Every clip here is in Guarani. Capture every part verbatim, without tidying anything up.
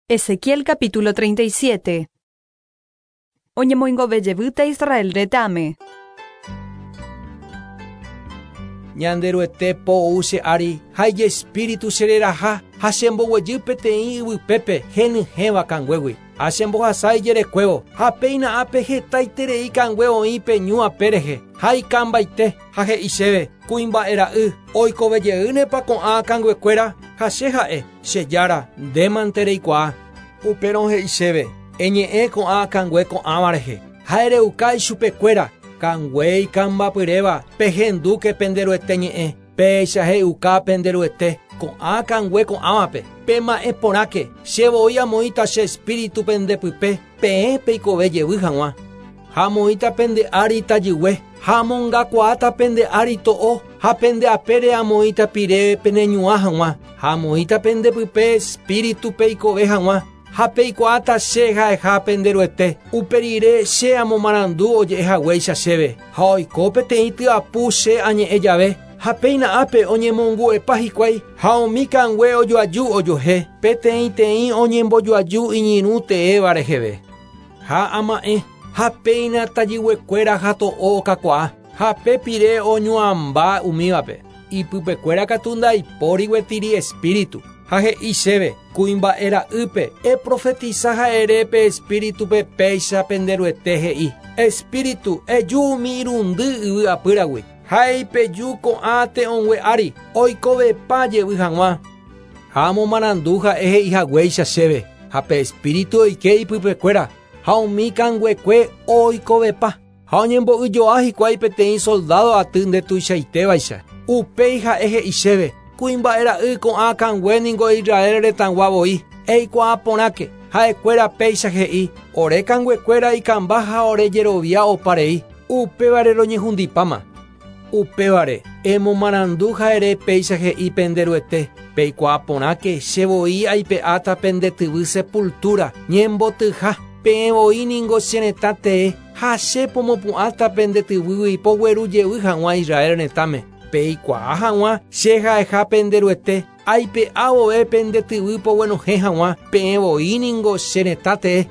Ezequiel capítulo treinta y siete. Oñemoingovejevýta Israel retãme. Ñanderuete po ou che ári ha ijespíritu chereraha ha chemboguejy peteĩ yvypépe henyhẽva kanguégui. Ha chembohasa ijerekuévo ha péina ápe hetaiterei kangue oĩ pe ñu ape rehe ha ikambaite ha he'i chéve kuimba'era'y oikovejeýnepa ko'ã kanguekuéra ha che ha'e che jára ndémante reikuaa. Upérõ he'i chéve eñe'ẽ ko'ã kangue ko'ãva rehe ha ereuka ichupekuéra kangue ikambapyréva pehendúke penderuete ñe'ẽ péicha he'uka penderuete ko'ã kangue ko'ãvape pema'ẽ porãke che voi amoĩta che espíritu pendepype peẽ peikove jevy hag̃ua ha amoĩta pende ári tajygue ha amongakuaáta pende ári to'o ha pende apére amoĩta pire peneñuã hag̃ua ha amoĩta pendepype espíritu peikove hag̃ua ha peikuaáta che ha'eha penderuete uperire che amomarandu oje'ehaguéicha chéve ha oiko peteĩ tyapu che añe'ẽ jave ha péina ápe oñemongu'epa hikuái ha umi kangue ojoaju ojohe peteĩteĩ oñembojoaju iñirũ teéva reheve ha ama'ẽ ha péina tajyguekuéra ha to'o okakuaa ha pe pire oñuãmba umívape ipypekuéra katu ndaipóri gueteri espíritu ha he'i chéve kuimba'era'ýpe eprofetisa ha'ere pe espíritupe péicha penderuete he'i espíritu eju umi irundy yvy apýragui ha eipeju ko'ã te'õngue ári oikovepa jevy hag̃ua ha amomarandu ha'e he'ihaguéicha chéve ha pe espíritu oike ipypekuéra ha umi kanguekue oikovepa ha oñembo'yjoa hikuái peteĩ soldado aty ndetuichaitévaicha upéi ha'e he'i chéve kuimba'era'y ko'ã kangue ningo Israel retãgua voi eikuaa porãke ha'ekuéra péicha he'i ore kanguekuéra ikamba ha ore jerovia oparei upévare roñehundipáma upévare emomarandu ha'ere péicha he'i penderuete peikuaa porãke che voi aipe'áta pendetyvy sepultura ñembotyha peẽ voi ningo che retã tee ha che pomopu'ãta pendetyvýgui pogueru jevy hag̃ua Israel retãme peikuaa hag̃ua che ha'eha penderuete aipe'a vove pendetyvy poguenohẽ hag̃ua peẽ voi ningo che retã tee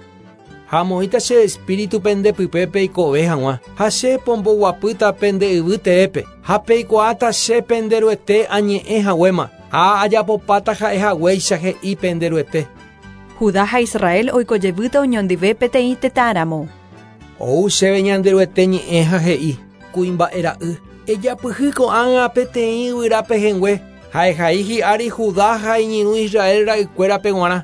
ha amoĩta che espíritu pendepype peikove hag̃ua ha che pomboguapýta pende yvy teépe ha peikuaáta che penderuete añe'ẽ haguéma ha ajapopáta ha'ehaguéicha he'i penderuete. Judá ha Israel oikojevýta oñondive peteĩ tetãramo. Ou chéve ñanderuete ñe'ẽ ha he'i kuimba'era'y ejapyhy ko'ág̃a peteĩ yvyrápe hengue ha'ehai hi'ári Judá ha iñirũ Israel ra'ykuérape g̃uarã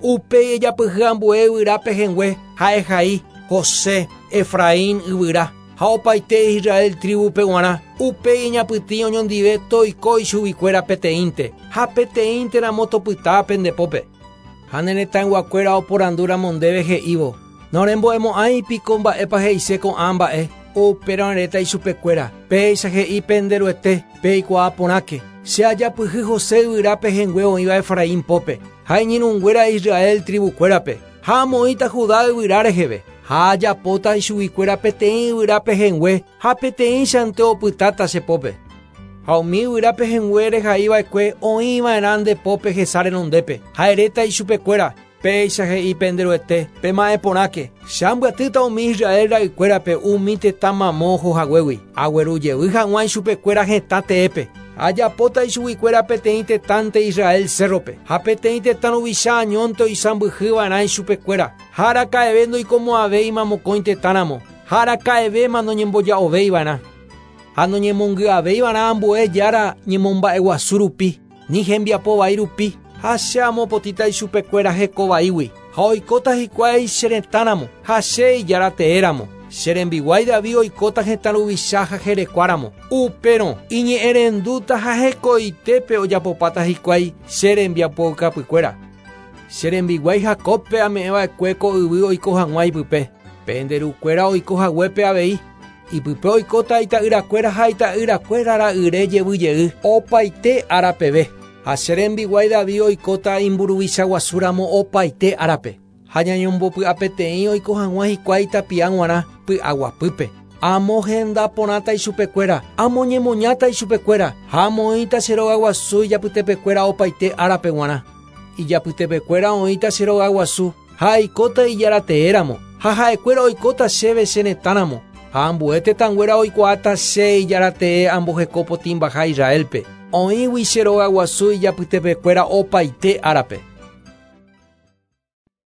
upéi ejapyhy ambue yvyrápe hengue ha'ehai José Efraín yvyra ha opaite Israel tribupe g̃uarã upéi eñapytĩ oñondive toiko ichuguikuéra peteĩnte ha peteĩnteramo topyta pendepópe ha ne retãyguakuéra oporandúramo ndéve he'ívo norembo'emo'ãi piko mba'épa he'ise ko'ã mba'e upérõ reta ichupekuéra péicha he'i penderuete peikuaa porãke che ajapyhy José yvyrápe hengue oĩva Efraín pópe ha iñirũnguéra Israel tribukuérape ha amoĩta Judá yvyra reheve ha ajapóta ichuguikuéra peteĩ yvyrápe hengue ha peteĩchante opytáta che pópe ha umi yvyrápe hengue rehaiva'ekue oĩva'erã nde pópe hesa renondépe ha eréta ichupekuéra péicha he'i penderuete pema'ẽ porãke che ambyatýta umi Israel ra'ykuérape umi tetã mamo ohohaguégui aguerujevy hag̃ua ichupekuéra hetã teépe ajapóta ichuguikuéra peteĩ tetãnte Israel cérrope ha peteĩ tetã ruvicha añónte oisãmbyhyva'erã ichupekuéra ha araka'eve ndoikomo'ãvéima mokõi tetãramo ha araka'evéma noñemboja'ovéiva'erã ha noñemongy'avéiva'erã ambue jára ñemomba'eguasu rupi ni hembiapo vai rupi ha che amopotĩta ichupekuéra heko vaígui ha oikóta hikuái che retãramo ha che ijára teéramo che rembiguái David oikóta hetã ruvicha ha jerekuáramo upérõ iñe'ẽrendúta ha hekoitépe ojapopáta hikuái che rembiapoukapykuéra che rembiguái Jacobpe ame'ẽva'ekue ko yvy oiko hag̃ua ipype penderukuéra oiko haguépe avei ipype oikóta ita'yrakuéra ha ita'yrakuéra ra'yre jevy jey opaite árapeve ha che rembiguái David oikóta imburuvicha guasúramo opaite árape ha ñañombopy'apeteĩ oiko hag̃ua hikuái tapia g̃uarã py'aguapýpe amohenda porãta ichupekuéra amoñemoñáta ichupekuéra ha amoĩta che rogaguasu ijapytepekuéra opaite árape g̃uarã. Ijapytepekuéra oĩta che rogaguasu ha aikóta ijarateéramo ha ha'ekuéra oikóta chéve che retãramo ha ambue tetãnguéra oikuaáta che ijaratee ambohekopotĩmbaha Israelpe oĩgui che rogaguasu ijapytepekuéra opaite árape.